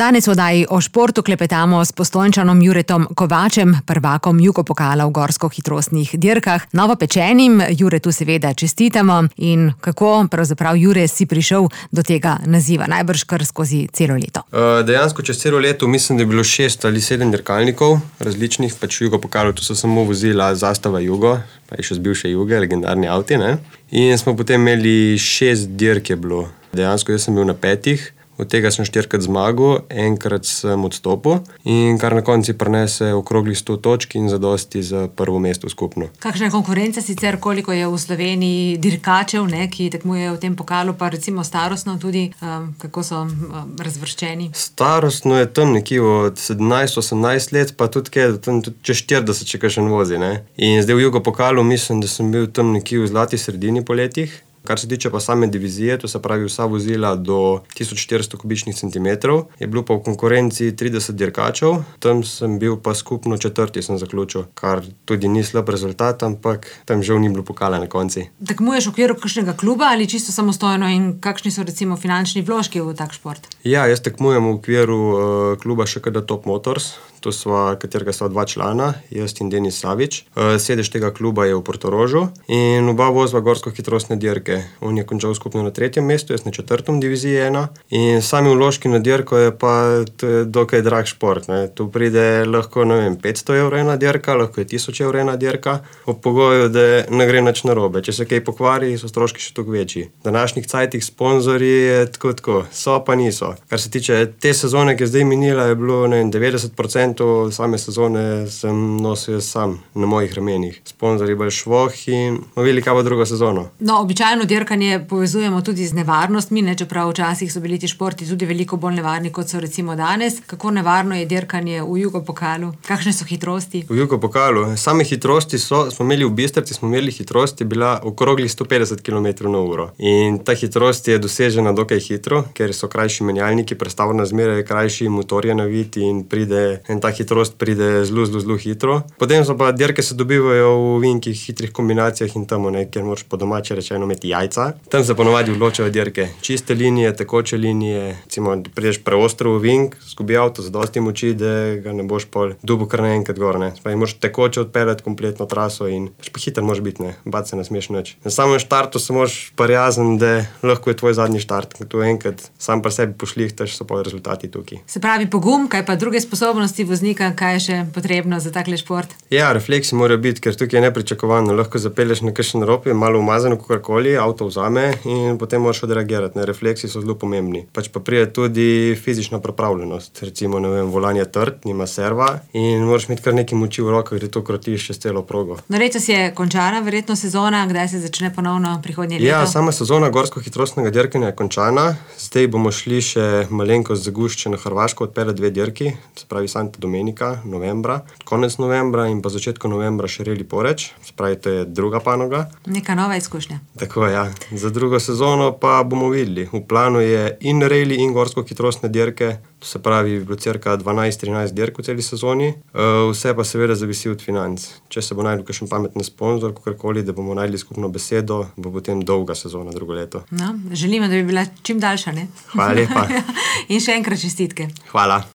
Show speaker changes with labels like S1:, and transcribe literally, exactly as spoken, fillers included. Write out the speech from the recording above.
S1: Danes v oddaji o športu klepetamo s Postojnčanom Juretom Kovačem, prvakom Jugopokala v gorsko-hitrostnih dirkah. Novopečenim Juretu seveda čestitamo. In kako pravzaprav, Jure, si prišel do tega naziva? Najbrž kar skozi celo leto.
S2: Uh, dejansko čez celo leto mislim, da je bilo šest ali sedem dirkalnikov različnih, pač v Jugopokalu, tu so samo vozila Zastava Jugo, pa je še z bivše Juge, legendarni avti, ne? In smo potem imeli šest dirk je bilo. Dejansko jaz sem bil na petih. Od tega sem štirikrat zmagal, enkrat sem odstopil in kar na konci prinese okroglih sto točk in zadosti za prvo mesto skupno.
S1: Kakšna je konkurenca sicer, koliko je v Sloveniji dirkačev, ne, ki tekmujejo v tem pokalu, pa recimo starostno tudi, um, kako so um, razvrščeni?
S2: Starostno je tam nekje od sedemnajst osemnajst let, pa tudi kaj, tam tudi čez štirideset, če kakšen vozi, ne. In zdaj v Jugopokalu mislim, da sem bil tam nekje v zlati sredini po letih. Kar se tiče pa same divizije, to se pravi vsa vozila do tisoč štiristo kubičnih centimetrov, je bilo pa v konkurenci trideset dirkačev, tam sem bil pa skupno četrti sem zaključil, kar tudi ni slab rezultat, ampak tam žal ni bilo pokala na konci.
S1: Tekmuješ v okviru kakšnega kluba ali čisto samostojno in kakšni so recimo finančni vložki v tak šport?
S2: Ja, jaz tekmujem v okviru uh, kluba Š K D Top Motors, to sva, katerega sva dva člana, jaz in Denis Savič. Uh, sedež tega kluba je v Portorožu in oba vozva gorsko-hitrostne dirke. On je končal skupno na tretjem mestu, jaz na četrtem diviziji ena. In sami vložki na dirko je pa je dokaj drag šport, ne. Tu pride lahko, ne vem, petsto evrov ena dirka, lahko je tisoč evrov ena dirka, ob pogoju, da ne gre nič narobe. Če se kaj pokvari, so stroški še toliko večji. V današnjih cajtih sponzorji je tako tako, so pa niso. Kar se tiče te sezone, ki je zdaj minila, je bilo, ne vem, devetdeset procentov same sezone sem nosil sam na mojih ramenih. Sponzorji bolj švoh in velika bo drugo sezono.
S1: No, običajno dirkanje povezujemo tudi z nevarnostmi, ne, čeprav včasih so bili ti športi tudi veliko bolj nevarni, kot so recimo danes. Kako nevarno je dirkanje v Jugopokalu? Kakšne so hitrosti?
S2: V Jugopokalu? Same hitrosti so, smo imeli v Bistrici, smo imeli hitrosti, bila okroglih sto petdeset kilometrov na uro. In ta hitrost je dosežena dokaj hitro, ker so krajši menjalniki, prestavna zmera je krajši, motor je navit in pride, in ta hitrost pride zelo, zelo, zelo hitro. Potem so pa dirke se dobivajo v vinkih, hitrih kombinacijah in tam, ne, kjer moraš po domače rečeno imeti jajca. Tam se ponovadi odločajo dirke. Čiste linije, tekoče linije, recimo, da prideš preostro v vink, zgubi avto, zadosti moči, da ga ne boš pol dubo kar naenkrat gor, ne. Spravi, moraš tekoče odpeljati kompletno traso in pa hiter moraš biti, ne. Bat se ne smeš nič. Na samem štartu se moraš prijazen, da lahko je tvoj zadnji štart. Tu enkrat sam pri sebi pošlihtaš, so pa rezultati tukaj.
S1: Se pravi pogum, kaj pa druge sposobnosti voznika, kaj je še potrebno za takle šport?
S2: Ja, refleksi morajo biti, ker tukaj je nepričakovano. Lahko zapelješ na kakšen rob, je malo umazano kakorkoli, avto vzame in potem moraš odreagirati. Ne, refleksi so zelo pomembni. Pač pa pride tudi fizična pripravljenost. Recimo, ne vem, volan je trd, nima serva in moraš imeti kar nekaj moči v rokah, da to krotiš čez celo progo.
S1: No, letos je končana verjetno sezona, kdaj se začne ponovno prihodnje leto?
S2: Ja, sama sezona gorsko-hitrostnega dirkanja je končana. Zdaj bomo šli še malenkost zagušče na Hrvaško, odpeljati dve dirki, se pravi Santa Domenica, novembra, konec novembra in pa začetku novembra še Rally Poreč, se pravi, to je druga panoga.
S1: Neka nova izkušnja.
S2: Tako, ja. Za drugo sezono pa bomo videli. V planu je in rally in gorsko-hitrostne dirke, to se pravi, bi bilo cirka dvanajst trinajst dirk v celi sezoni. Vse pa seveda zavisi od financ. Če se bo najdel kakšen pametni sponzor, kakorkoli, da bomo najdli skupno besedo, bo potem dolga sezona drugo leto.
S1: No, želimo, da bi bila čim daljša, ne?
S2: Hvala lepa.
S1: In še enkrat čestitke.
S2: Hvala.